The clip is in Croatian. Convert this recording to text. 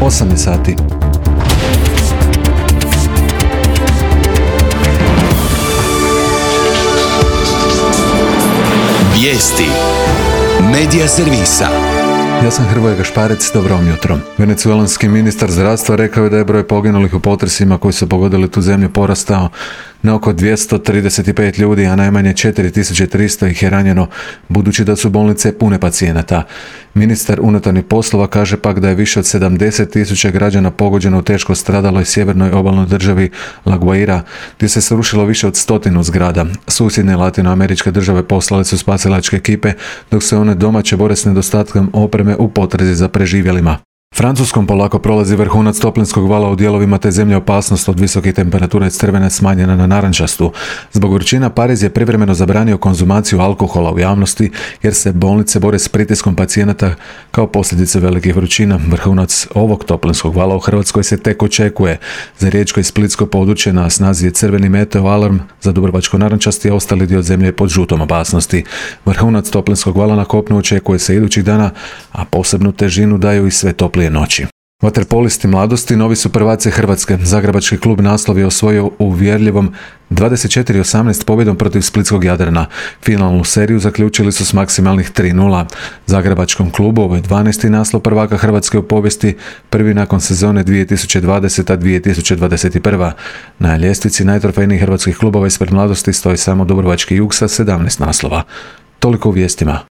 8 je sati. Vijesti Medija servisa. Ja sam Hrvoje Gašparec, dobro vam jutro. Venecuelanski ministar zdravstva rekao je da je broj poginulih u potresima koji su pogodili tu zemlju porastao na oko 235 ljudi, a najmanje 4300 ih je ranjeno, budući da su bolnice pune pacijenata. Ministar unutarnjih poslova kaže pak da je više od 70.000 građana pogođeno u teško stradaloj sjevernoj obalnoj državi La Guaira, gdje se srušilo više od 100 zgrada. Susjedne latinoameričke države poslale su spasilačke ekipe, dok se one domaće bore s nedostatkom opreme u potrazi za preživjelima. Francuskom polako prolazi vrhunac toplinskog vala u dijelovima te zemlje. Opasnost od visokih temperatura je s crvene smanjena na narančastu. Zbog vrućina Pariz je privremeno zabranio konzumaciju alkohola u javnosti jer se bolnice bore s pritiskom pacijenata kao posljedice velikih vrućina. Vrhunac ovog toplinskog vala u Hrvatskoj se tek očekuje. Za riječko i splitsko područje na snazi je crveni meteo alarm, za dubrovačko-narančasti, a ostali dio zemlje je pod žutom opasnosti. Vrhunac toplinskog vala na kopnu očekuje se idućih dana, a posebnu težinu daju i sve toplije noći. Vaterpolisti mladosti novi su prvaci Hrvatske. Zagrebački klub naslov je osvojio u uvjerljivom 24-18 pobjedom protiv splitskog Jadrana. Finalnu seriju zaključili su s maksimalnih 3:0. Zagrebačkom klubu ovo je 12. naslov prvaka Hrvatske u povijesti, prvi nakon sezone 2020-2021. Na ljestvici najtrofejnijih hrvatskih klubova ispred mladosti stoji samo Dubrovački Jug sa 17 naslova. Toliko u vijestima.